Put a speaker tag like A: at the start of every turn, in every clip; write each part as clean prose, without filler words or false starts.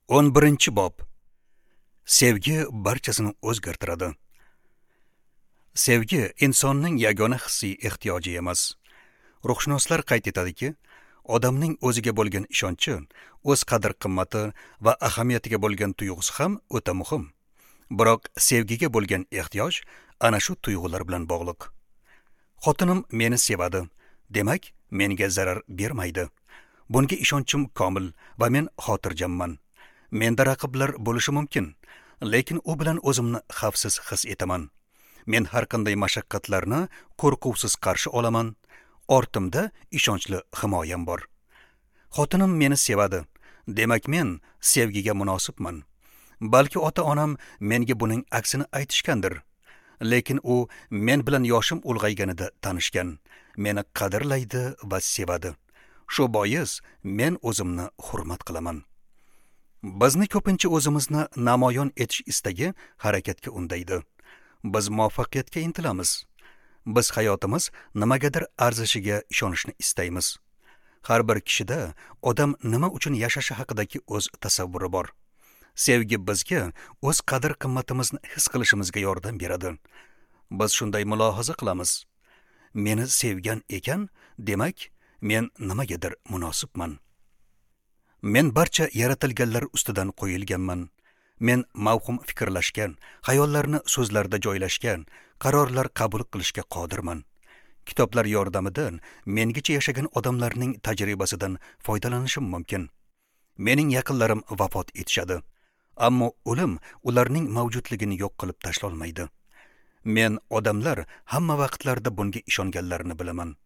A: 11-bob. Sevgi barchasini o'zgartiradi. Sevgi insonning yagona hissiy ehtiyoji emas. Ruhshunoslar qayd etadiki, odamning o'ziga bo'lgan ishonchi, o'z qadr-qimmati va ahamiyatiga bo'lgan tuyg'usi ham o'ta muhim. Biroq sevgiga bo'lgan ehtiyoj ana shu tuyg'ular bilan bog'liq. Xotinim meni sevadi, demak, menga zarar bermaydi. Bunga ishonchim komil va men xotirjamman. Menda raqiblar bo'lishi mumkin, lekin u bilan o'zimni xavfsiz his etaman. Men har qanday mashaqqatlarni qo'rquvsiz qarshi olaman. Ortimda ishonchli himoyam bor. Xotinim meni sevadi, demak men sevgiga munosibman. Balki ota-onam menga buning aksini aytishgandir. Lekin u men bilan yoshim ulg'ayganida tanishgan, meni qadrlaydi va sevadi. Shu bois men o'zimni hurmat qilaman. Bizni ko'pincha o'zimizni namoyon etish istagi harakatga undaydi. Biz muvaffaqiyatga intilamiz. Biz hayotimiz nimagadir arzishiga ishonishni istaymiz. Har bir kishida odam nima uchun yashashi haqidagi o'z tasavvuri bor. Sevgi bizga o'z qadr-qimmatimizni his qilishimizga yordam beradi. Biz shunday mulohaza qilamiz. Meni sevgan ekan, demak, men nimagadir munosibman. Men barcha yaratilganlar ustidan qo'yilganman. Men mavhum fikrlashgan, xayollarni so'zlarda joylashgan, qarorlar qabul qilishga qodirman. Kitoblar yordamida mengacha yashagan odamlarning tajribasidan foydalanishim mumkin. Mening yaqinlarim vafot etishadi, ammo o'lim ularning mavjudligini yo'q qilib tashlolmaydi. Men odamlar hamma vaqtlarda bunga ishonganlarini bilaman.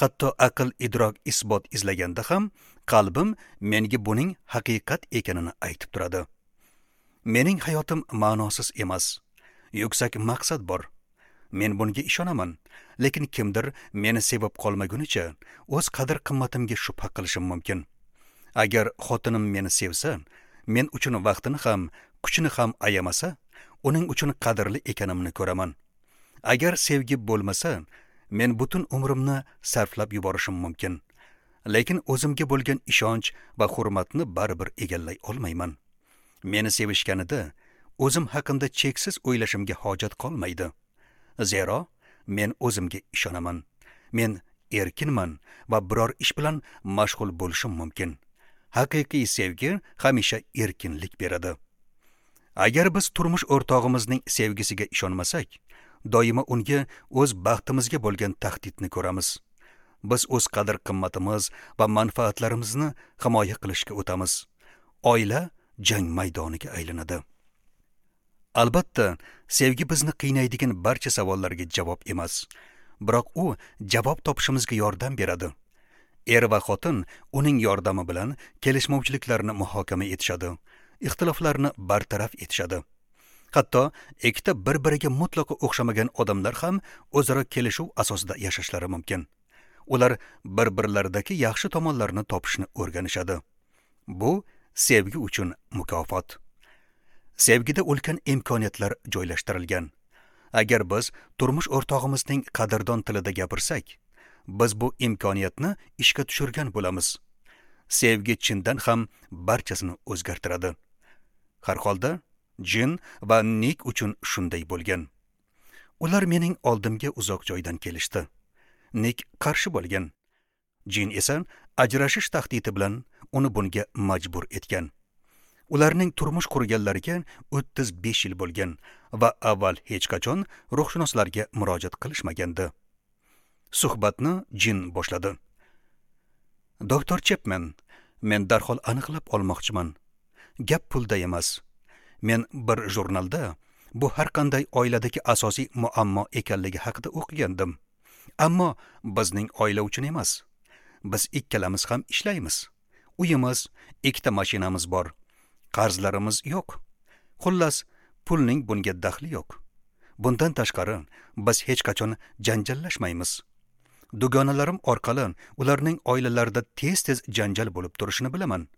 A: Hatto aql idrok isbot izlaganda ham qalbim menga buning haqiqat ekanini aytib turadi. Mening hayotim ma'nosiz emas. Yuksak maqsad bor. Men bunga ishonaman, lekin kimdir meni sevib qolmagunicha o'z qadr-qimmatimga shubha qilishim mumkin. Agar xotinim meni sevsa, men uchun vaqtini ham, kuchini ham ayamasa, uning uchun qadrli ekanimni ko'raman. Agar sevgi bo'lmasa, men butun umrimni sarflab yuborishim mumkin. Lekin o'zimga bo'lgan ishonch va hurmatni baribir egallay olmayman. Meni sevishganida o'zim haqimda cheksiz o'ylashimga hojat qolmaydi. Zero men o'zimga ishonaman. Men erkinman va biror ish bilan mashg'ul bo'lishim mumkin. Haqiqiy sevgi hamisha erkinlik beradi. Agar biz turmush o'rtog'imizning sevgisiga ishonmasak, doimo unga o'z baxtimizga bo'lgan tahdidni ko'ramiz. Biz o'z qadr-qimmatimiz va manfaatlarimizni himoya qilishga o'tamiz. Oila jang maydoniga aylanadi. Albatta, sevgi bizni qiynaydigan barcha savollarga javob emas, biroq u javob topishimizga yordam beradi. Er va xotin uning yordami bilan kelishmovchiliklarni muhokama etishadi, ixtiloflarni bartaraf etishadi. Hatto ikkita bir-biriga mutlaqo o'xshamagan odamlar ham o'zaro kelishuv asosida yashashlari mumkin. Ular bir-birlaridagi yaxshi tomonlarni topishni o'rganishadi. Bu sevgi uchun mukofot. Sevgida ulkan imkoniyatlar joylashtirilgan. Agar biz turmush o'rtog'imizning qadrdon tilida gapirsak, biz bu imkoniyatni ishga tushirgan bo'lamiz. Sevgi chindan ham barchasini o'zgartiradi. Har holda Jin va Nik uchun shunday bo'lgan. Ular mening oldimga uzoq joydan kelishdi. Nik qarshi bo'lgan. Jin esa ajrashish tahdidi bilan uni bunga majbur etgan. Ularning turmush qurganlariga 35 yil bo'lgan va avval hech qachon ruhshunoslarga murojaat qilishmagandi. Suhbatni Jin boshladi. Doktor Chapman, men darhol aniqlab olmoqchiman. Gap pulda emas. Men bir jurnalda bu har qanday oiladagi asosiy muammo ekanligi haqida o'qigandim. Ammo bizning oila uchun emas. Biz ikkalamiz ham ishlaymiz. Uyimiz, ikkita mashinamiz bor. Qarzlarimiz yo'q. Xullas, pulning bunga daxli yo'q. Bundan tashqari, biz hech qachon janjallashmaymiz. Dugonalarim orqali ularning oilalarida tez-tez janjal bo'lib turishini bilaman.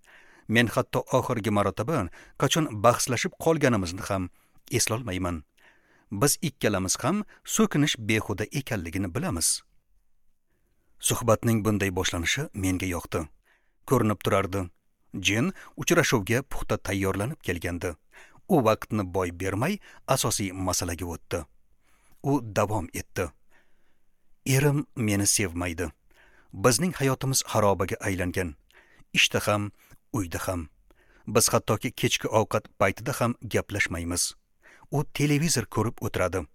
A: Men hatto oxirgi marotaba qachon bahslashib qolganimizni ham eslolmayman. Biz ikkalamiz ham so'kinish behuda ekanligini bilamiz. Suhbatning bunday boshlanishi menga yoqdi. Ko'rinib turardi. Jin uchrashuvga puxta tayyorlanib kelgandi. U vaqtni boy bermay asosiy masalaga o'tdi. U davom etdi. Erim meni sevmaydi. Bizning hayotimiz xarobaga aylangan. Ishda ham, uyda ham. Biz hattoki kechki ovqat paytida ham gaplashmaymiz. U televizor ko'rib o'tiradi.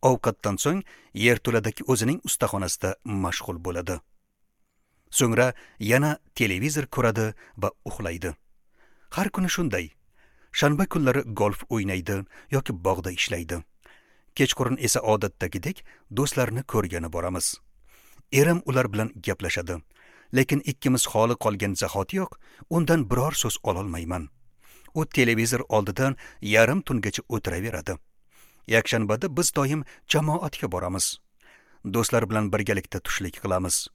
A: Ovqatdan so'ng yerto'ladagi o'zining ustaxonasida mashg'ul bo'ladi. So'ngra yana televizor ko'radi va uxlaydi. Har kuni shunday. Shanba kunlari golf o'ynaydi yoki bog'da ishlaydi. Kechqurun esa odatdagidek do'stlarini ko'rgani boramiz. Erim ular bilan gaplashadi. Lekin ikkimiz xoli qolgan zahotiyoq undan biror so'z ololmayman. U televizor oldidan yarim tungacha o'tiraveradi. Yakshanbada biz doim jamoatga boramiz. Do'stlar bilan birgalikda tushlik qilamiz.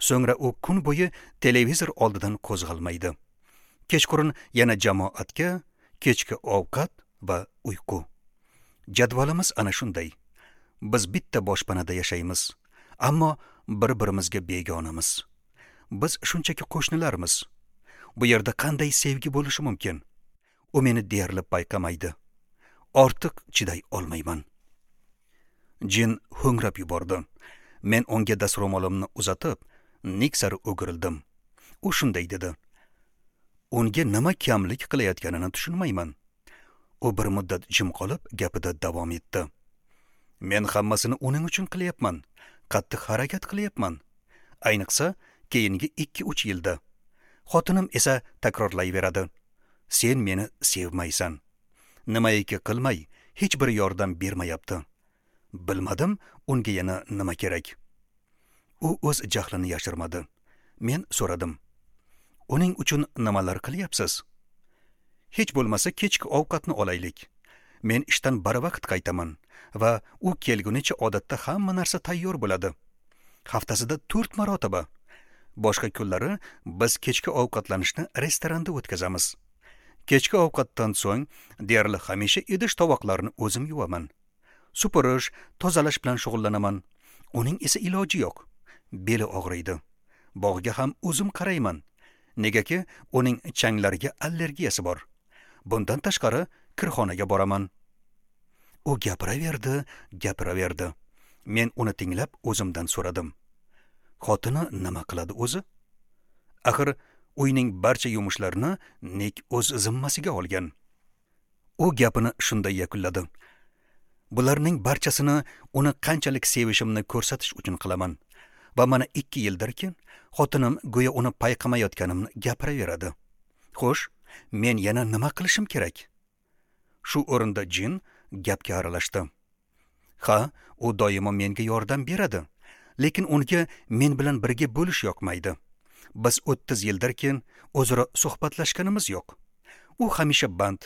A: So'ngra u kun bo'yi televizor oldidan qo'zg'almaydi. Kechqurun yana jamoatga, kechki ovqat va uyqu. Jadvalimiz ana shunday. Biz bitta boshpanada yashaymiz, ammo bir-birimizga begonamiz. Biz shunchaki qo'shnilarmiz. Bu yerda qanday sevgi bo'lishi mumkin? U meni deyarli payqamaydi. Ortiq chiday olmayman. Jin ho'ngrab yubordi. Men unga dastro'molimni uzatib, Nik sari o'girildim. U shunday dedi. Unga nima kamlik qilayotganini tushunmayman. U bir muddat jim qolib, gapida davom etdi. Men hammasini uning uchun qilyapman. Qattiq harakat qilyapman. Ayniqsa, keyingi 2-3 yilda. Xotinim esa takrorlayveradi. Sen meni sevmaysan. Nimaiki qilmay, hech bir yordam bermayapti. Bilmadim, unga yana nima kerak. U o'z jahlini yashirmadi. Men so'radim. Uning uchun nimalar qilyapsiz? Hech bo'lmasa kechki ovqatni olaylik. Men ishdan barvaqt qaytaman va u kelgunicha odatda hamma narsa tayyor bo'ladi. Haftasida 4 marotaba. Boshqa kunlari biz kechki ovqatlanishni restoranda o'tkazamiz. Kechki ovqatdan so'ng deyarli hamisha idish tovoqlarni o'zim yuvaman. Supurish, tozalash bilan shug'ullanaman. Uning esa iloji yo'q. Beli og'riydi. Bog'ga ham o'zim qarayman. Negaki uning changlariga allergiyasi bor. Bundan tashqari kirxonaga boraman. U gapiraverdi, gapiraverdi. Men uni tinglab o'zimdan so'radim. Xotini nima qiladi o'zi? Axir uyning barcha yumushlarini Nik o'z zimmasiga olgan. U gapini shunday yakunladi. Bularning barchasini uni qanchalik sevishimni ko'rsatish uchun qilaman. Va mana 2 yildirki, xotinim go'yo uni payqamayotganimni gapiraveradi. Xo'sh, men yana nima qilishim kerak? Shu o'rinda Jin gapga aralashdi. Ha, u doimo menga yordam beradi, lekin unga men bilan birga bo'lish yoqmaydi. Biz 30 yildirki o'zaro suhbatlashganimiz yo'q. U hamisha band,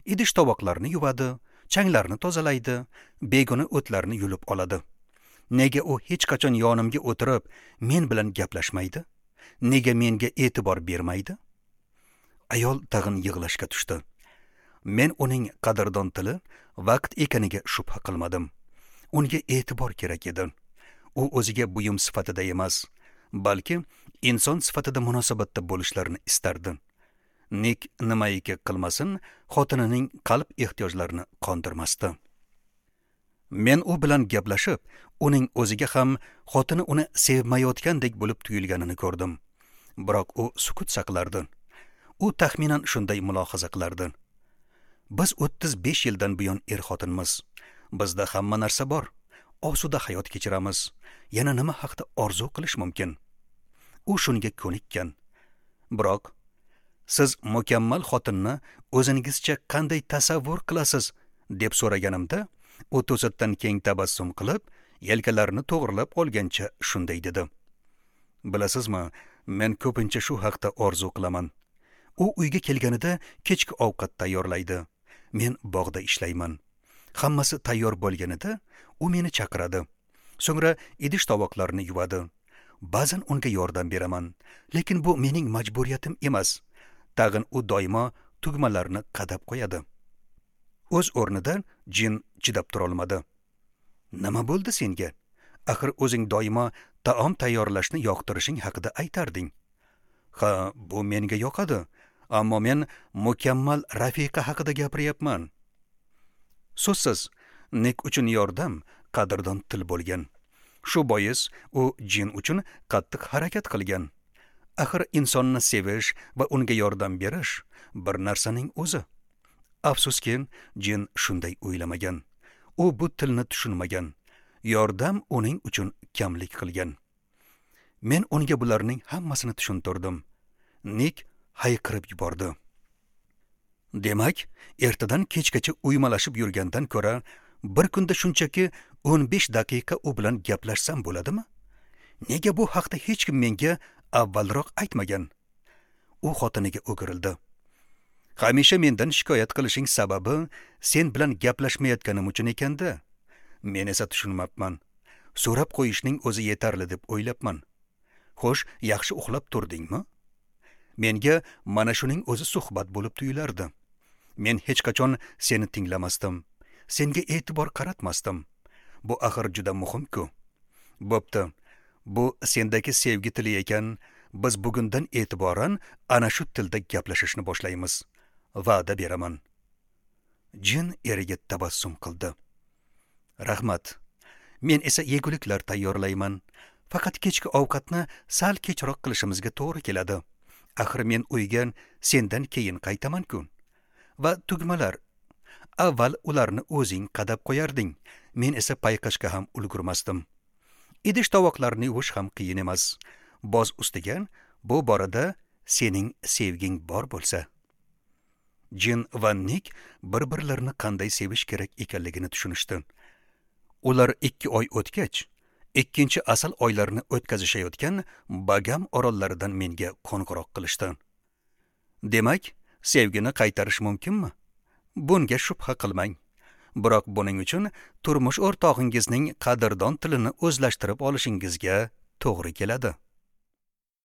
A: idish tovoqlarni yuvadi, changlarni tozalaydi, begona o'tlarni yulib oladi. Nega u hech qachon yonimga o'tirib, men bilan gaplashmaydi? Nega menga e'tibor bermaydi? Ayol tag'in yig'lashga tushdi. Men uning qadrdon tili vaqt ekaniga shubha qilmadim. Unga e'tibor kerak edi. U o'ziga buyum sifatida emas, balki inson sifatida munosabatda bo'lishlarini istardi. Nik nimaiki qilmasin, xotinining qalb ehtiyojlarini qondirmasdi. Men u bilan gaplashib, uning o'ziga ham xotini uni sevmayotgandek bo'lib tuyulganini ko'rdim. Biroq u sukut saqlardi. U taxminan shunday mulohaza qilardi. Biz 35 yildan buyon er-xotinmiz. Bizda hamma narsa bor. Osuda hayot kechiramiz. Yana nima haqda orzu qilish mumkin? U shunga ko'nikkan. Biroq siz mukammal xotinni o'zingizcha qanday tasavvur qilasiz deb so'raganimda, u to'satdan keng tabassum qilib, yelkalarini to'g'rilab olgancha shunday dedi. Bilasizmi, men ko'pincha shu haqda orzu qilaman. U uyga kelganida kechki ovqat tayyorlaydi. Men bog'da ishlayman. Hammasi tayyor bo'lganida u meni chaqiradi. So'ngra idish tovoqlarni yuvadi. Ba'zan unga yordam beraman, lekin bu mening majburiyatim emas. Tag'in u doimo tugmalarni qadab qo'yadi. O'z o'rnida Jin chidab tura olmadi. Nima bo'ldi senga? Axir o'zing doimo taom tayyorlashni yoqtirishing haqida aytarding. Ha, bu menga yoqadi, ammo men mukammal rafiqa haqida gapiryapman. So'zsiz, Nik uchun yordam qadrdon til bo'lgan. Shu bois u Jin uchun qattiq harakat qilgan. Axir insonni sevish va unga yordam berish bir narsaning o'zi. Afsuski, Jin shunday o'ylamagan. U bu tilni tushunmagan. Yordam uning uchun kamlik qilgan. Men unga bularning hammasini tushuntirdim. Nik hayqirib yubordi. Demak, ertadan kechgacha uymalashib yurgandan ko'ra, bir kunda shunchaki 15 daqiqa u bilan gaplashsam bo'ladimi? Nega bu haqda hech kim menga avvalroq aytmagan? U xotiniga o'girildi. Hamisha mendan shikoyat qilishing sababi sen bilan gaplashmayotganim uchun ekanda. Men esa tushunmabman. So'rab qo'yishning o'zi yetarli deb o'ylabman. Xo'sh, yaxshi uxlab turdingmi? Menga mana shuning o'zi suhbat bo'lib tuyulardi. Men hech qachon seni tinglamasdim. Senga e'tibor qaratmasdim. Bu axir juda muhim-ku. Bo'pti. Bu sendagi sevgi tili ekan, biz bugundan e'tiboran ana shu tilda gaplashishni boshlaymiz. Va'da beraman. Jin eriga tabassum qildi. Rahmat. Men esa yeguliklar tayyorlayman. Faqat kechki ovqatni sal kechroq qilishimizga to'g'ri keladi. Axir men uyga sendan keyin qaytaman-ku. Va tugmalar. Avval ularni o'zing qadab qo'yarding. Men esa payqashga ham ulgurmasdim. Idish tovoqlarni yuvish ham qiyin emas. Boz ustiga bu borada sening sevging bor bo'lsa. Jin va Nik bir-birlarini qanday sevish kerak ekanligini tushunishdi. Ular 2 oy o'tgach, ikkinchi asal oylarini o'tkazishayotgan Bagam orollaridan menga qo'ng'iroq qilishdi. Demak, sevgini qaytarish mumkinmi? Bunga shubha qilmang. Biroq buning uchun turmush o'rtog'ingizning qadrdon tilini o'zlashtirib olishingizga to'g'ri keladi.